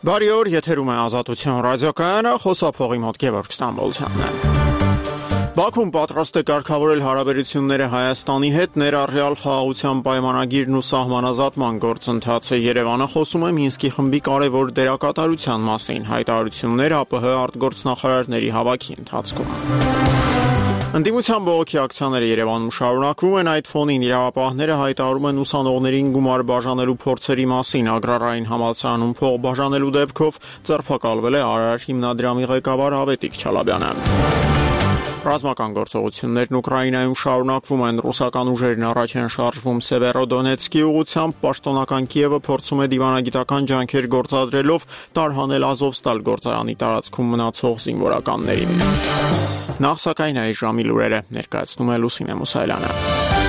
Բարի օր, եթերում է Ազատություն ռադիոկայանը, խոսափողի մոտ Գևորգ Ստամբոլցյանն է։ Բաքուն պատրաստ է կարգավորել հարաբերությունները Հայաստանի հետ, ներառյալ խաղաղության պայմանագիրն ու սահմանազատման գործընթացը։ Երևանը խոսում է Մինսկի խմբի կարևոր դերակատարության մասին, հայտարարություններ ԱՊՀ արտգործնախարարների հավաքի ընթացքում։ Ընդդիմության բողոքի ակցիաները Երևանում շարունակվում են, այդ ֆոնին իրավապահները հայտարարում են ուսանողներին գումար բաժանելու փորձերի մասին, Ագրարային համալսարանում փող բաժանելու դեպքով ձերբակալվել է Արար հիմնադրամի ղեկավար Ավետիք Չալաբյանը։ Ռազմական գործողություններն Ուկրաինայում շարունակվում են, ռուսական ուժերն առաջ են շարժվում Սևերոդոնեցկի ուղղությամբ, պաշտոնական Կիևը փորձում է դիվանագիտական ջանքեր գործադրելով տարհանել Ազովստալ գործարանի տարածքում մնացող զինվորականներին։ Նախ սակայն այս ժամի լուրերը ներկայացնում է Լուսինե Մուսայելյանը։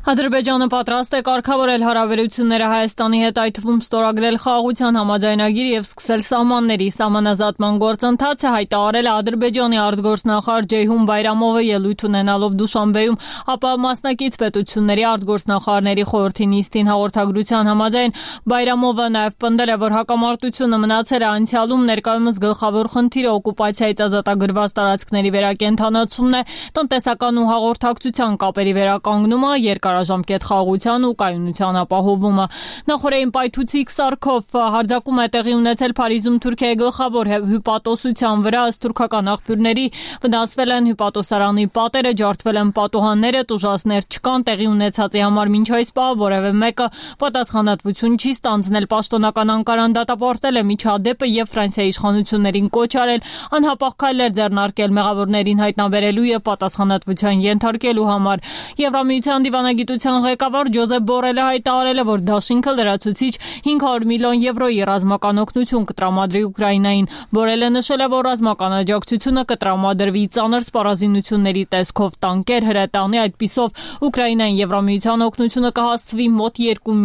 Ադրբեջանը պատրաստ է կարգավորել հարաբերությունները Հայաստանի հետ, այդ թվում ստորագրել խաղաղության համաձայնագիր եւ սկսել սահմանների սահմանազատման գործընթացը, հայտարարել է Ադրբեջանի արտգործնախարար Ջեյհուն Բայրամովը ելույթ ունենալով Դուշանբեում, ապա մասնակից պետությունների արտգործնախարարների խորհրդի նիստին հաղորդագրության համաձայն Բայրամովը նաեւ պնդել է, որ հակամարտությունը մնացել է անցյալում, ներկայումս գլխավոր խնդիրը օկուպացիայից ազատագրված տարածքների վերակենդանացումն է, տնտեսական ու հաղորդակցության կապերի վերականգնումը, երկարաժամկետ խաղաղության ու կայունության ապահովումը։ Նախորդային պայթուցիկ սարքով հարձակում է տեղի ունեցել Փարիզում Թուրքիայի գլխավոր հյուպատոսության վրա, ըստ թուրքական աղբյուրների վնասվել են հյուպատոսարանի պատերը, ջարդվել են պատուհանները, տուժածներ չկան, տեղի ունեցածի համար մինչ այս պահ որևէ մեկը պատասխանատվություն չի ստանձնել։ Պաշտոնական Անկարան դատապարտել է միջադեպը եւ Ֆրանսիայի իշխանություններին կոչ արել անհապաղ քայլեր ձեռնարկել մեղավորներին հայտնաբերելու եւ պատասխանատվության ենթարկելու համար։ Եվրամիության դիվանագիտության ղեկավար Ջոզեփ Բորելը հայտարարել է, որ դաշինքը լրացուցիչ 500 միլիոն եվրոյի ռազմական օգնություն կտրամադրի Ուկրաինային։ Բորելը նշել է, որ ռազմական աջակցությունը կտրամադրվի ծանր սպառազինությունների տեսքով, տանկեր, հրետանի, այդպիսով Ուկրաինային Եվրամիության օգնությունը կհասցվի մոտ 2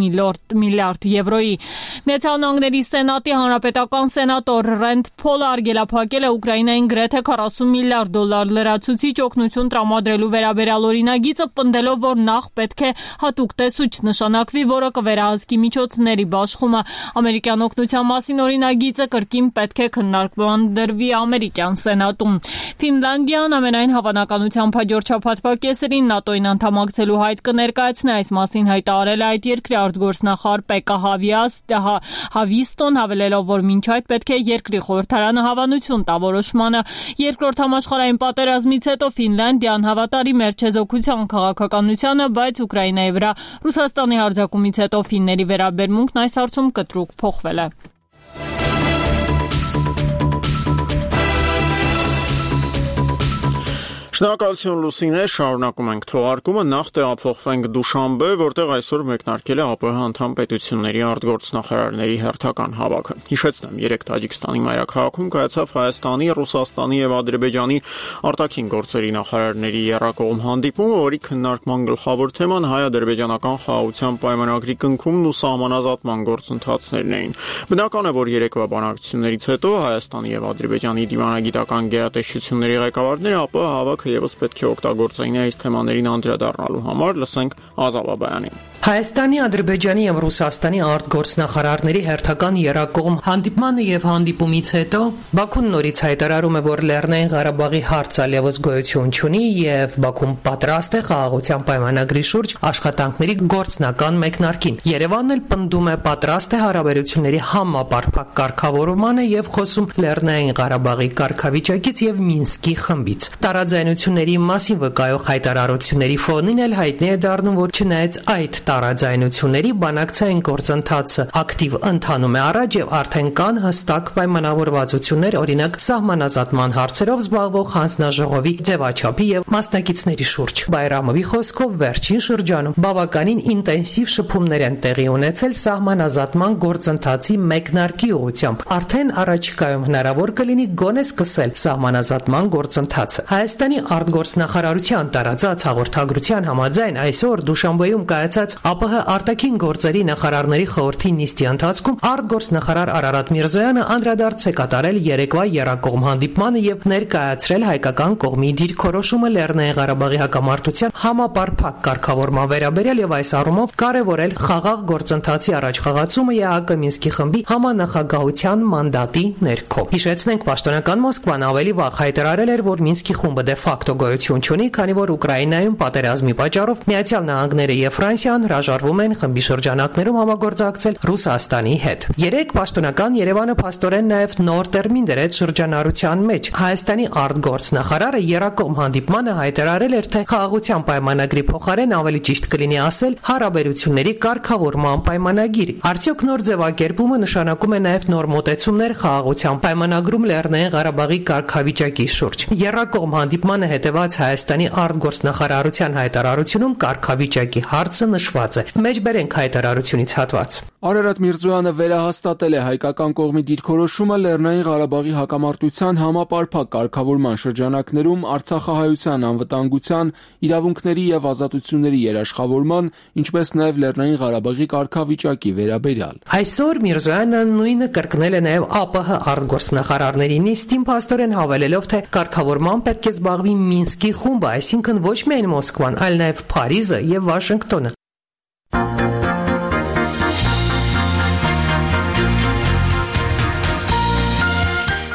միլիարդ եվրոյի։ Միացյալ Նահանգների Սենատի հանրապետական սենատոր Ռենդ Փոլը արգելափակել է Ուկրաինային գրեթե 40 միլիարդ դոլար լրացուցիչ օգնություն տրամադրելու վերաբերյալ օրինագիծը, պնդելով, որ նախ պետք է հատուկ տեսուչ նշանակվի, որը կվերահսկի միջոցների բաշխումը։ Ամերիկյան օգնության մասին օրինագիծը կրկին պետք է քննարկման դրվի ամերիկյան սենատում։ Ֆինլանդիան ամենայն հավանականությամբ հաջորդ շաբաթվա կեսերին ՆԱՏՕ-ին անդամակցելու հայտ կներկայացնի, այս մասին հայտարարել է այդ երկրի արտգործնախարար Պեկա Հավիստոն, հավելելով, որ մինչ այդ պետք է երկրի խորհրդարանը հավանություն տա որոշմանը։ Երկրորդ համաշխարհային պատերազմից հետո Ֆինլանդիան հավատարիմ էր չեզոքության քաղաքականությանը, բայց Ուկրաինայի վրա Ռուսաստանի հարձակումից հետո ֆինների վերաբերմունքն այս հարցում կտրուկ փոխվել է։ Շնորհակալություն Լուսինե, շարունակում ենք թողարկումը, նախ տեղափոխվենք Դուշանբե, որտեղ այսօր մեկնարկել է ԱՊՀ անդամ պետությունների արտգործնախարարների հերթական հավաքը։ Հիշեցնեմ, 3 Տաջիկստանի մայրաքաղաքում կայացավ Հայաստանի, Ռուսաստանի եւ Ադրբեջանի արտաքին գործերի նախարարների եռակողմ հանդիպումը, որի քննարկման գլխավոր թեման հայ-ադրբեջանական խաղաղության պայմանագրի կնքումն ու սահմանազատման գործընթացներն էին։ Բնական է, որ երեկվա բանակցություններից հետո Հայաստանի եւ Ադրբեջանի դիվանագիտական գերատեսչությունների ղեկավարները ԱՊՀ հավաքը եւս պետք է օգտագործեին այս թեմաներին անդրադառնալու համար, լսենք Ազավ Աբայանին։ Հայաստանի, Ադրբեջանի եւ Ռուսաստանի արտգործնախարարների հերթական եռակողմ հանդիպմանը եւ հանդիպումից հետո Բաքուն նորից հայտարարում է, որ Լեռնային Ղարաբաղի հարցը այլևս գոյություն չունի եւ Բաքուն պատրաստ է խաղաղության պայմանագրի շուրջ աշխատանքների գործնական մեկնարկին։ Երևանն էլ պնդում է պատրաստ է հարաբերությունների համապարփակ կարգավորմանը եւ խոսում Լեռնային Ղարաբաղի կարգավիճակից եւ Մինսկի խմբից։ Տարաձայնությունների մասին վկայող հայտարարությունների ֆոնին էլ հայտնի է դառնում, որ չնայած այդ տարաձայնությունների բանակցային գործընթացը ակտիվ ընթանում է առաջ եւ արդեն կան հստակ պայմանավորվածություններ, օրինակ սահմանազատման հարցերով զբաղվող հանձնաժողովի ձևաչափի եւ մասնակիցների շուրջ։ Բայրամովի խոսքով վերջին շրջանում բավականին ինտենսիվ շփումներ են տեղի ունեցել սահմանազատման գործընթացի մեկնարկի ուղղությամբ։ Արդեն առաջիկայում հնարավոր կլինի գոնե սկսել սահմանազատման գործընթացը։ Հայաստանի արտգործնախարարության տարածած հաղորդագրության համաձայն այսօր Դուշանբեում կայացած ԱՊՀ արտաքին գործերի նախարարների խորհրդի նիստի ընթացքում արտգործնախարար Արարատ Միրզոյանը անդրադարձ է կատարել երեկվա եռակողմ հանդիպմանը եւ ներկայացրել հայկական կողմի դիրքորոշումը Լեռնային Ղարաբաղի հակամարտության համապարփակ կարգավորման վերաբերյալ եւ այս առումով կարեւորել խաղաղ գործընթացի առաջխաղացումը ԵԱՀԿ Մինսկի խմբի համանախագահության մանդատի ներքո։ Հիշեցնենք, պաշտոնական Մոսկվան ավելի վաղ հայտարարել էր, որ Մինսկի խումբը դե ֆակտո գոյություն չունի, քանի որ Ուկրաինայում պատերազմի պատճառով Միացյալ Նահանգները եւ Ֆրանսիան հրաժարվում են խմբի շրջանակներում համագործակցել Ռուսաստանի հետ։ Երեք պաշտոնական Երևանը փաստորեն նաեւ նոր տերմին դրեց շրջանառության մեջ։ Հայաստանի արտգործնախարարը եռակողմ հանդիպմանը հայտարարել էր, թե խաղաղության պայմանագրի փոխարեն ավելի ճիշտ կլինի ասել հարաբերությունների կարգավորման պայմանագիր։ Արդյոք նոր ձևակերպումը նշանակում է նաեւ նոր մոտեցումներ խաղաղության պայմանագրում Լեռնային Ղարաբաղի կարգավիճակի շուրջ։ Եռակողմ հանդիպմանը հետևած Հայաստանի արտգործնախարարության հայտարարությունում կարգավիճակի հարցը նշված է։ Մեջբերենք հայտարարությունից հատված։ Արարատ Միրզոյանը վերահաստատել է հայկական կողմի դիրքորոշումը Լեռնային Ղարաբաղի հակամարտության համապարփակ կարգավորման շրջանակներում Արցախահայության անվտանգության, իրավունքների եւ ազատությունների երաշխավորման, ինչպես նաեւ Լեռնային Ղարաբաղի կարգավիճակի վերաբերյալ։ Այսօր Միրզոյանը նույնը կրկնել է նաեւ ԱՊՀ արտգործնախարարների նիստին, փաստորեն հավելելով, թե կարգավորման պետք է զբաղվի Մինսկի խումբը, այսինքն ոչ միայն Մոսկվան, այլ նաեւ Փարիզը եւ Վաշինգտոնը։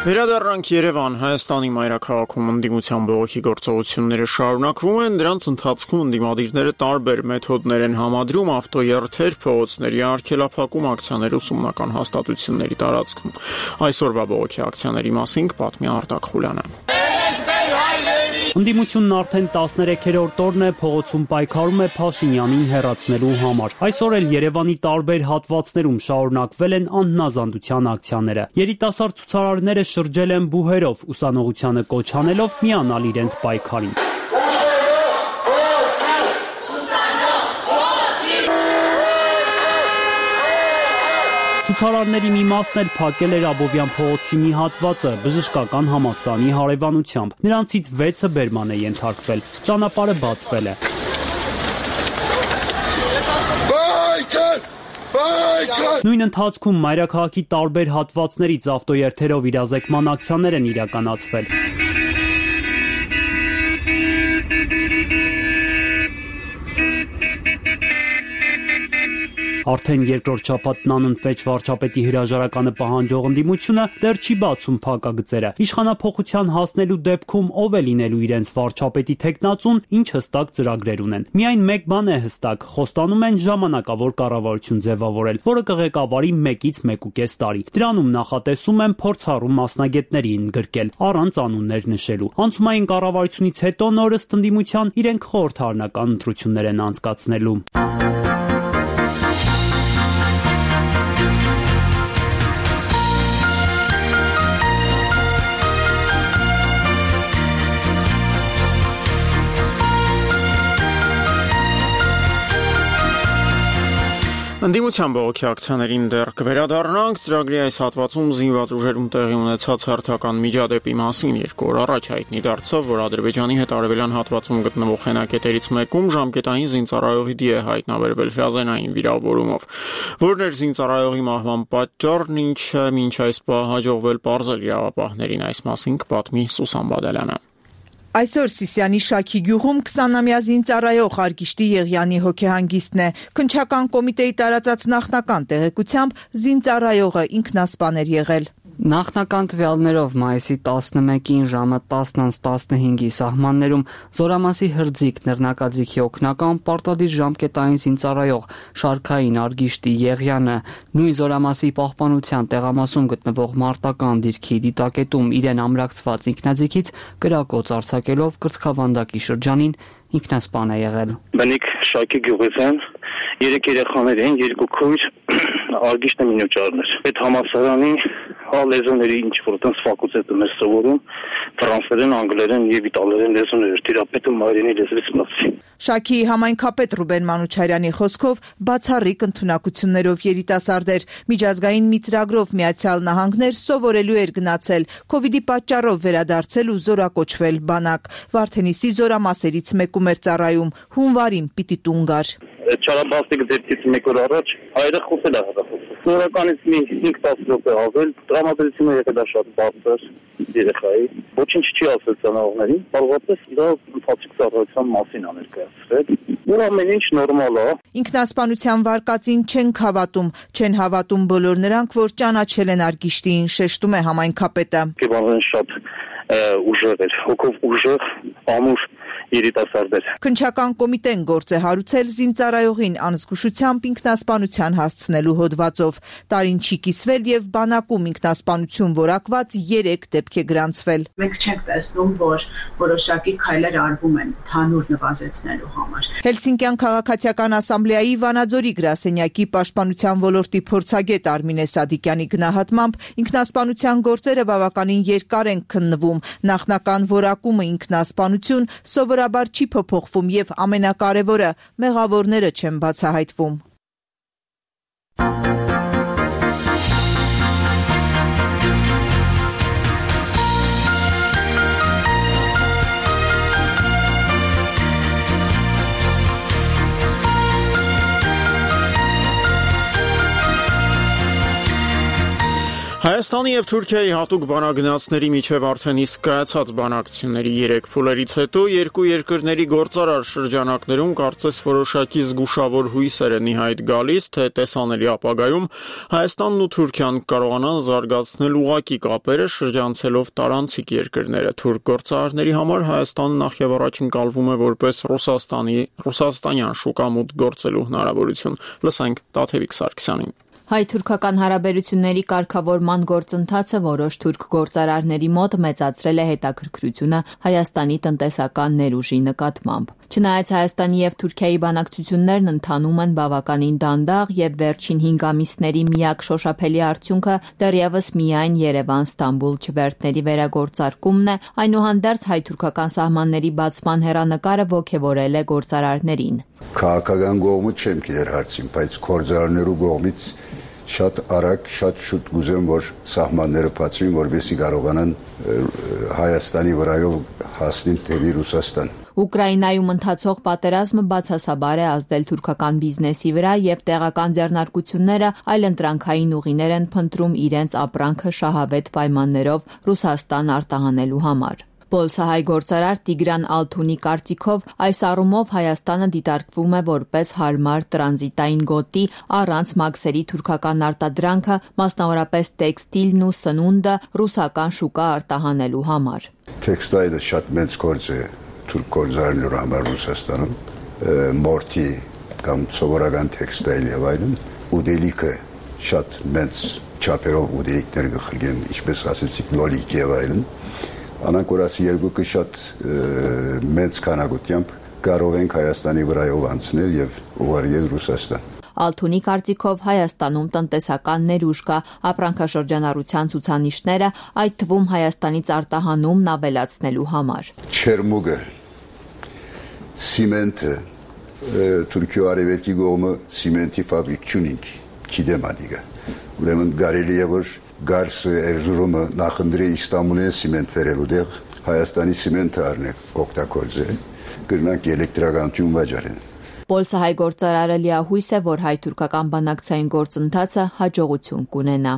Վերադառնանք Երևան, Հայաստանի մայրաքաղաքում ընդդիմության բողոքի գործողությունները շարունակվում են, դրանց ընթացքում ընդդիմադիրները տարբեր մեթոդներ են համադրում ավտոերթեր, փողոցների արգելափակում, ակցիաներ, ուսումնական հաստատությունների տարածքում։ Այսօրվա բողոքի ակցիաների մասին կպատմի Արտակ Խուլյանը։ Ընդդիմությունն արդեն 13-րդ օրն է փողոցում պայքարում է Փաշինյանին հեռացնելու համար։ Այսօր էլ Երևանի տարբեր հատվածներում շարունակվել են անհնազանդության ակցիաները։ Երիտասարդ ցուցարարները շրջել են բուհերով, ուսանողությանը կոչ անելով միանալ իրենց պայքարին։ Ցուցարարների մի մասն էլ փակել էր Աբովյան փողոցի մի հատվածը բժշկական համալսարանի հարևանությամբ։ Նրանցից 6-ը բերման է ենթարկվել։ Ճանապարհը բացվել է։ Նույն ընթացքում մայրաքաղաքի տարբեր հատվածներից ավտոերթերով իրազեկման ակցիաներ են իրականացվել։ Արդեն երկրորդ շաբաթն անընդմեջ վարչապետի հրաժարականը պահանջող ընդդիմությունը դեռ չի բացում փակագծերը։ Իշխանափոխության հասնելու դեպքում ով է լինելու իրենց վարչապետի թեկնածուն, ինչ հստակ ծրագրեր ունեն։ Միայն մեկ բան է հստակ՝ խոստանում են ժամանակավոր կառավարություն ձևավորել, որը կղեկավարի 1-ից 1.5 տարի։ Դրանում նախատեսում են փորձառու մասնագետների ընդգրկել, առանց անուններ նշելու։ Անցումային կառավարությունից հետո նոր ըստ ընդդիմության իրենք խորհրդարանական ընտրություններ են անցկացնելու։ Ընդդիմության բողոքի ակցիաներին դեռ կվերադառնանք, ծրագրի այս հատվածում զինված ուժերում տեղի ունեցած հերթական միջադեպի մասին 2 օր առաջ հայտնի դարձավ, որ Ադրբեջանի հետ արևելյան հատվածում գտնվող հենակետերից մեկում ժամկետային զինծառայողի դի է հայտնաբերվել հրազենային վիրավորումով։ Որն էր զինծառայողի մահվան պատճառն, ինչը մինչ այս պահ հաջողվել պարզել իրավապահներին, այս մասին կպատմի Սուսան Բադալյանը։ Այսօր Սիսիանի Շաքի գյուղում 20-ամյա զինծառայող Արգիշտի Եղյանի հոգեհանգիստն է։ Քննչական կոմիտեի տարածած նախնական տեղեկությամբ զինծառայողը ինքնասպան էր եղել։ Նախնական տվյալներով մայիսի 11-ին ժամը 10:15-ի սահմաններում Զորամասի հրձիկ նռնակաձիգի օգնական պարտադիր ժամկետային զինծառայող Շարքային Արգիշտի Եղյանը նույն Զորամասի պահպանության տեղամասում գտնվող մարտական դիրքի դիտակետում իրեն ամրացված ինքնաձիգից կրակոց արձակելով կրծքավանդակի շրջանին ինքնասպան է եղել։ Բնիկ Շակի գյուղიდან 3 երեխաներ են, 2 քույր, Արգիշտը մինոճարն էր։ Այդ համալսարանի լեզուների ինչ որ տենց ֆակուլտետում էր սովորում, ֆրանսերեն, անգլերեն եւ իտալերեն լեզուներ թերապետը մայրենի լեզվից մնացի։ Շաքիի համայնքապետ Ռուբեն Մանուչարյանի խոսքով բացառիկ ընդունակություններով երիտասարդ էր, միջազգային մի ծրագրով Միացյալ Նահանգներ սովորելու էր գնացել, Քովիդի պատճառով վերադարձել ու զորակոչվել բանակ։ Վարդենիսի զորամասերից մեկում էր ծառայում, հունվարին պիտի տուն գար։ Չարաբաստիկ դեպքից մեկ օր առաջ հայրը խոսել է հեռախոսով։ Նորականից մի 5-10 րոպե ավել տրամադրությունը եղել է շատ բարձր երեխայի։ Ոչինչ չի ասել ծանոթներին, բավականին դա ընթացիկ ծառայության մասին է ներկայացրել։ Որ ամեն ինչ նորմալ է։ Ինքնասպանության վարկածին չեն հավատում բոլոր նրանք, որ ճանաչել են Արգիշտիին, շեշտում է համայնքապետը։ Կեբանեն շատ ուժեղ էր, հոգով ուժեղ, ամուր երիտասարդեր։ Քննչական կոմիտեն գործ է հարուցել զինծառայողին անզգուշությամբ ինքնասպանության հասցնելու հոդվածով։ Տարին չի կիսվել եւ բանակում ինքնասպանություն որակված 3 դեպք է գրանցվել։ Մենք չենք տեսնում, որ որոշակի քայլեր արվում են հանուր նվազեցնելու համար։ Հելսինկյան քաղաքացիական ասամբլեայի Վանաձորի գրասենյակի պաշտպանության ոլորտի փորձագետ Արմինե Սադիկյանի գնահատմամբ ինքնասպանության գործերը բավականին երկար են քննվում։ Նախնական որակումը ինքնասպանություն սովորաբար չի փոփոխվում եւ ամենակարևորը մեղավորները չեն բացահայտվում։ Հայաստանի եւ Թուրքիայի հատուկ բանագնացների միջև արդեն իսկ կայացած բանակցությունների 3 փուլերից հետո երկու երկրների գործարար շրջանակներում կարծես որոշակի զգուշավոր հույսեր են իհայտ գալիս, թե տեսանելի ապագայում Հայաստանն ու Թուրքիան կարողանան զարգացնել ուղղակի կապերը շրջանցելով տարանցիկ երկրները։ Թուրք գործարարների համար Հայաստանը նախ եւ առաջ ընկալվում է որպես ռուսաստանյան շուկա մուտք գործելու հնարավորություն։ Լսենք Տաթևիկ Սարգսյանին։ Հայ-թուրքական հարաբերությունների կարգավորման գործընթացը որոշ թուրք գործարարների մոտ մեծացրել է հետաքրքրությունը Հայաստանի տնտեսական ներուժի նկատմամբ։ Չնայած Հայաստանի եւ Թուրքիայի բանակցություններն ընթանում են բավականին դանդաղ եւ վերջին 5 ամիսների միակ շոշափելի արդյունքը դեռևս միայն Երևան-Ստամբուլ չվերթների վերագործարկումն է, այնուհանդերձ հայ-թուրքական սահմանների բացման հեռանկարը ոգևորել է գործարարներին։ Քաղաքական կողմը չեմ գիտեր հարցին, բայց գործարարներու կողմից շատ արագ, շատ շուտ գուզեմ, որ սահմանները բացվին, որովհետեւ կարողանան Հայաստանի վրայով հասնեն դեպի Ռուսաստան։ Ուկրաինայում ընթացող պատերազմը բացասաբար է ազդել թուրքական բիզնեսի վրա եւ տեղական ձեռնարկությունները այլընտրանքային ուղիներ են փնտրում իրենց ապրանքը շահավետ պայմաններով Ռուսաստան արտահանելու համար։ Պոլսահայ գործարար Տիգրան Ալթունի կարծիքով այս առումով Հայաստանը դիտարկվում է որպես հարմար տրանզիտային գոտի առանց մաքսերի թուրքական արտադրանքը, մասնավորապես տեքստիլն ու սնունդը ռուսական շուկա արտահանելու համար։ Տեքստիլը շատ մեծ գործ է թուրք գործարարների համար Ռուսաստանում, մորթի կամ սովորական տեքստիլ եւ այլն, ուդելիքը շատ մեծ չափերով ուդելիքներ գխրգեն, ինչպես ասեցիք, լոլիկ եւ այլն։ Անանկորաս երկուքը շատ մեծ քանակությամբ կարող ենք Հայաստանի վրայով անցնել եւ ուղարկել Ռուսաստան։ Ալթունի կարծիքով Հայաստանում տնտեսական ներուժ կա, ապրանքաշրջանառության ցուցանիշները, այդ թվում Հայաստանից արտահանումն ավելացնելու համար։ Չերմուգը, սիմենտը, Թուրքիա արևելքի կողմը սիմենտի ֆաբրիկ չունենք, գիտեմ ադիգա։ Ուրեմն կարելի է որ Գարսը Էրզուրումը նախընտրի Իստանբուլի սիմենտ վերելու դեղ Հայաստանի սիմենտը առնեք օգտագործել, կրնանք էլեկտրականություն վաճառեն։ Պոլսահայ գործարարը լիահույս է, որ հայ-թուրքական բանակցային գործընթացը հաջողություն կունենա։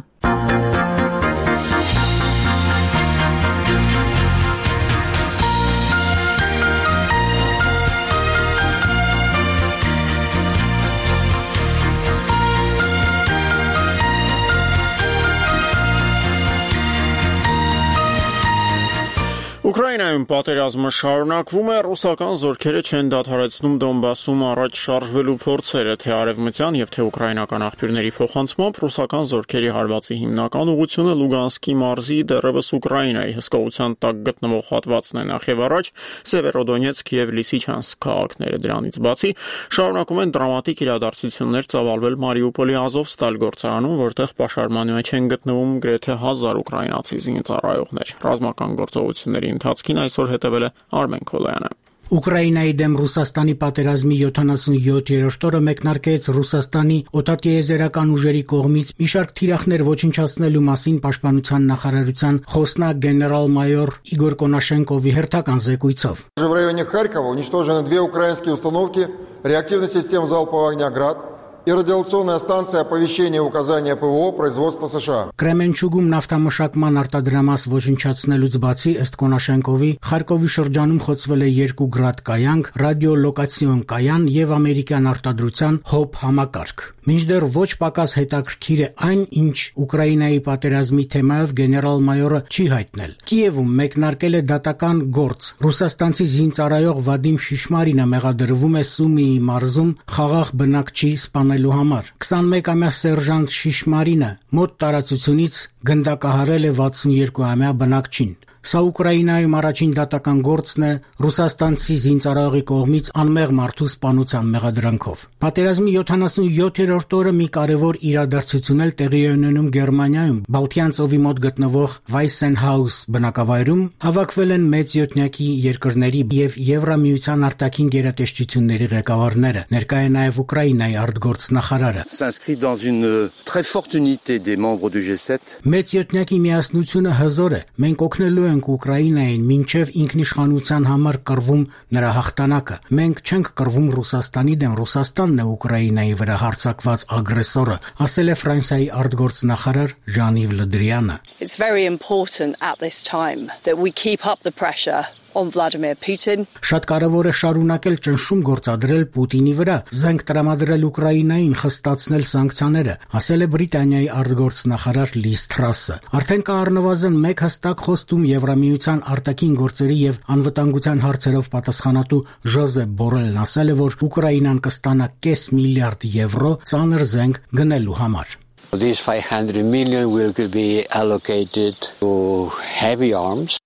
Ուկրաինայում պատերազմը շարունակվում է, ռուսական զորքերը չեն դադարեցնում Դոնբասում առաջ շարժվելու փորձերը, թե արևմտյան եւ թե ուկրաինական աղբյուրների փոխանցմամբ ռուսական զորքերի հարվածի հիմնական ուղղությունը Լուգանսկի մարզի դեռևս Ուկրաինայի հսկողության տակ գտնվող հատվածն է նախ եւ առաջ Սևերոդոնեցկ եւ Լիսիչանսկ քաղաքները։ Դրանից բացի շարունակում են դրամատիկ իրադարձություններ ծավալվել Մարիուպոլի Ազովստալ գործարանում, որտեղ պաշարման մեջ են գտնվում գրեթե 1000 ուկրաինացի զինծառայողներ։ Ռազմական գործողությունների ընթացքին այսօր հետևել է Արմեն Քոլոյանը։ Ուկրաինայի դեմ Ռուսաստանի պատերազմի 77-րդ օրը մեկնարկեց Ռուսաստանի օդատիեզերական ուժերի կողմից մի շարք թիրախներ ոչնչացնելու մասին Պաշտպանության նախարարության խոսնակ գեներալ-մայոր Իգոր Կոնաշենկովի հերթական զեկույցով. В районе Харькова уничтожены 2 украинские установки реактивных систем залпового огня «Град» и радиационная станция оповещения и указания ПВО производства США. Կրեմենչուգում նավթամշակման արտադրամաս ոչնչացնելուց բացի ըստ Կոնաշենկովի Խարկովի շրջանում խոցվել է 2 գրադ կայանք, ռադիոլոկացիոն կայան եւ ամերիկյան արտադրության հոբ համակարգ։ Մինչդեռ ոչ պակաս հետաքրքիր է այն, ինչ Ուկրաինայի պատերազմի թեմայով գեներալ-մայորը չի հայտնել։ Կիևում մեկնարկել է դատական գործ։ Ռուսաստանցի զինծառայող Վադիմ Շիշմարինը մեղադրվում է Սումիի մարզում խաղաղ բնակչի սպանելու համար։ 21-ամյա սերժանտ Շիշմարինը մոտ տարածությունից գնդակահարել է 62-ամյա բնակչին։ Սա Ուկրաինայում առաջին դատական գործն է ռուսաստանցի զինծառայողի կողմից անմեղ մարդու սպանության մեղադրանքով։ Պատերազմի 77-րդ օրը մի կարևոր իրադարձություն էլ տեղի է ունենում Գերմանիայում։ Բալթյան ծովի մոտ գտնվող Վայսենհաուս բնակավայրում հավաքվել են մեծ յոթնյակի երկրների եւ Եվրամիության արտաքին գերատեսչությունների ղեկավարները, ներկա է նաեւ Ուկրաինայի արտգործնախարարը։ S'inscrit dans une très forte unité des membres du G7. Մեծ յոթնյակի միասնությունը հզոր է։ Մենք օգնելու Ուկրաինային մինչև ինքնիշխանության համար կռվում նրա հաղթանակը։ Մենք չենք կռվում Ռուսաստանի դեմ, Ռուսաստանն է Ուկրաինայի վրա հարձակված ագրեսորը, ասել է Ֆրանսիայի արտգործնախարար Ժան-Իվ Լը Դրիանը։ It's very important at this time that we keep up the pressure on Vladimir Putin. Շատ կարևոր է շարունակել ճնշում գործադրել Պուտինի վրա, զենք տրամադրել Ուկրաինային, խստացնել սանկցիաները, ասել է Բրիտանիայի արտգործնախարար Լիզ Թրասը։ Արդեն կա առնվազն 1 հստակ խոստում Եվրամիության արտաքին գործերի եւ անվտանգության հարցերով պատասխանատու Ժոզեփ Բորելն ասել է, որ Ուկրաինան կստանա 500 միլիարդ եվրո ծանր զենք գնելու համար։ These 500 million will be allocated to heavy arms.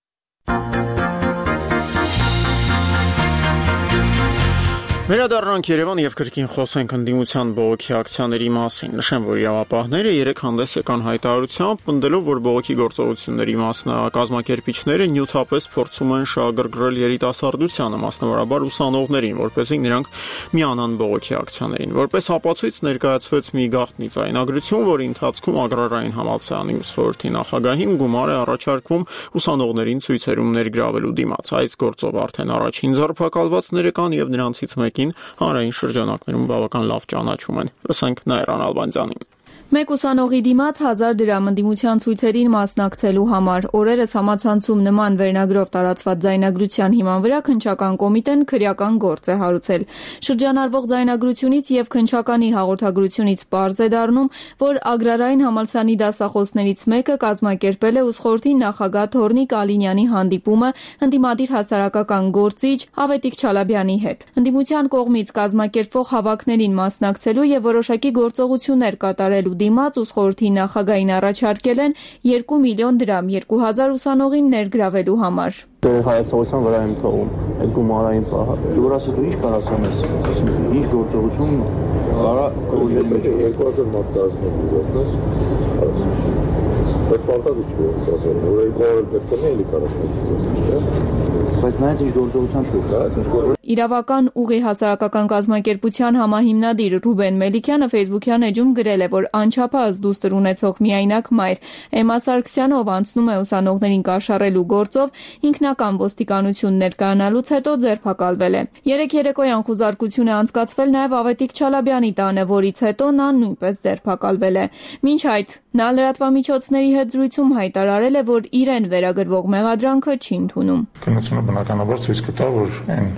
Վերադառնանք Երևան եւ կրկին խոսենք ընդդիմության բողոքի ակցիաների մասին։ Նշեմ, որ իրավապահները երեք հանդես եկան հայտարարությամբ, պնդելով, որ բողոքի գործողությունների մասնակազմակերպիչները նյութապես փորձում են շահագրգռել երիտասարդությանը, մասնավորաբար ուսանողներին, որպեսզի նրանք միանան բողոքի ակցիաներին։ Որպես ապացույց ներկայացվեց մի գաղտնի ձայնագրություն, որի ընթացքում Ագրարային համալսարանի ուսխորհրդի նախագահին գումար է առաջարկվում ուսանողներին ցույցերում ներգրավելու դիմաց։ Այս գործով արդեն առաջին ձերբակալվածները կան եւ նրանցից հանրային շրջանակներում բավական լավ ճանաչում են։ Լսենք Նաիրան Ալբանդյանին։ Մեկ ուսանողի դիմաց 1000 դրամ ընդդիմության ցույցերին մասնակցելու համար օրերս համացանցում նման վերնագրով տարածված ձայնագրության հիման վրա քննչական կոմիտեն քրեական գործ է հարուցել։ Շրջանառվող ձայնագրությունից եւ քննչականի հաղորդագրությունից պարզ է դառնում, որ Ագրարային համալսարանի դասախոսներից մեկը կազմակերպել է ուսխորհրդի նախագահ Թորնիկ Ալինյանի հանդիպումը ընդդիմադիր հասարակական գործիչ Ավետիք Չալաբյանի հետ։ Ընդդիմության կողմից կազմակերպվող հավաքներին մասնակցելու եւ որոշակի գործողություններ կատարելու դիմաց ուսխորհրդի նախագահին առաջարկել են 2 միլիոն դրամ 2000 ուսանողին ներգրավելու համար։ Հայացողության վրա եմ թողում այդ գումարային պահը։ Դու ասես դու ինչ կարաս անես, ինչ գործողություն կարա կոժերի մեջ 2000 մարդ դասնի դասնես։ Բայց պարտադիր չէ ասել, որ 200 պետք է էլի կարաս դասնես։ Բայց նայած ինչ գործողության շուրջ է, Իրավական ուղի հասարակական կազմակերպության համահիմնադիր Ռուբեն Մելիքյանը Facebook-յան էջում գրել է, որ անչափահաս դուստր ունեցող միայնակ մայր Էմմա Սարգսյանը, ով անցնում է ուսանողներին կաշառելու գործով, ինքնական ոստիկանություն ներկայանալուց հետո ձերբակալվել է։ Երեք երեկոյան խուզարկություն է անցկացվել նաև Ավետիք Չալաբյանի տանը, որից հետո նա նույնպես ձերբակալվել է։ Մինչ այդ նա լրատվամիջոցների հետ զրույցում հայտարարել է, որ իրեն վերագրվող մեղադրանքը չի ընդունում։ Քննությունը բնականաբար ցույց կտա, որ այն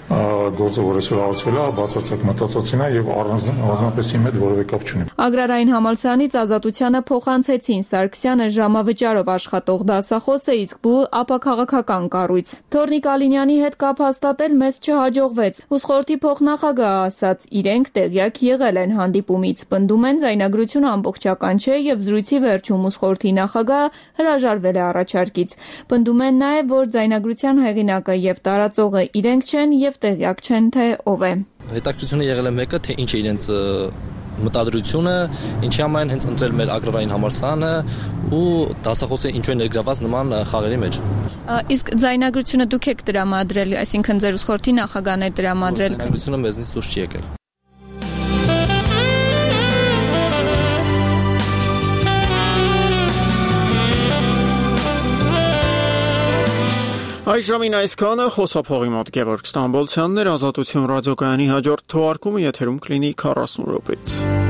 գործը, որ այսօր հարուցվել է, բացարձակ մտածածին է եւ առանձնապես իմ հետ որևէ կապ չունի։ Ագրարային համալսարանից Ազատությանը փոխանցեցին Սարգսյանը ժամավճարով աշխատող դասախոսը, իսկ բու ապաքաղաքական կառույց։ Թորնիկ Ալինյանի հետ կապ հաստատել մեզ չհաջողվեց։ Ուսխորհրդի փոխնախագահը ասաց, իրենք տեղյակ եղել են հանդիպումից, պնդում են ձայնագրությունը ամբողջական չէ եւ զրույցի վերջում ուսխորհրդի նախագահը հրաժարվել է առաջարկից։ Պնդում են նաեւ, որ ձայնագրության հեղինակը եւ տարածողը իրենք չեն եւ տեղյակ չեն, թե ով է։ Հետաքրքրությունը եղել է մեկը, թե ինչ է իրենց մտադրությունը, ինչի համար հենց ընտրել մեր ագրարային համալսարանը ու դասախոսը ինչու է ներգրաված նման խաղերի մեջ։ Իսկ ձայնագրությունը դուք եք տրամադրել, այսինքն ձեր ուսխորհրդի նախագահն է տրամադրել։ Ձայնագրությունը մեզնից դուրս չի եկել։ Այժմին այսքանը խոսափողի մոտ Գևորգ Ստամբոլցյանն էր, Ազատություն ռադիոկայանի հաջորդ թողարկումը եթերում կլինի 40 րոպեից։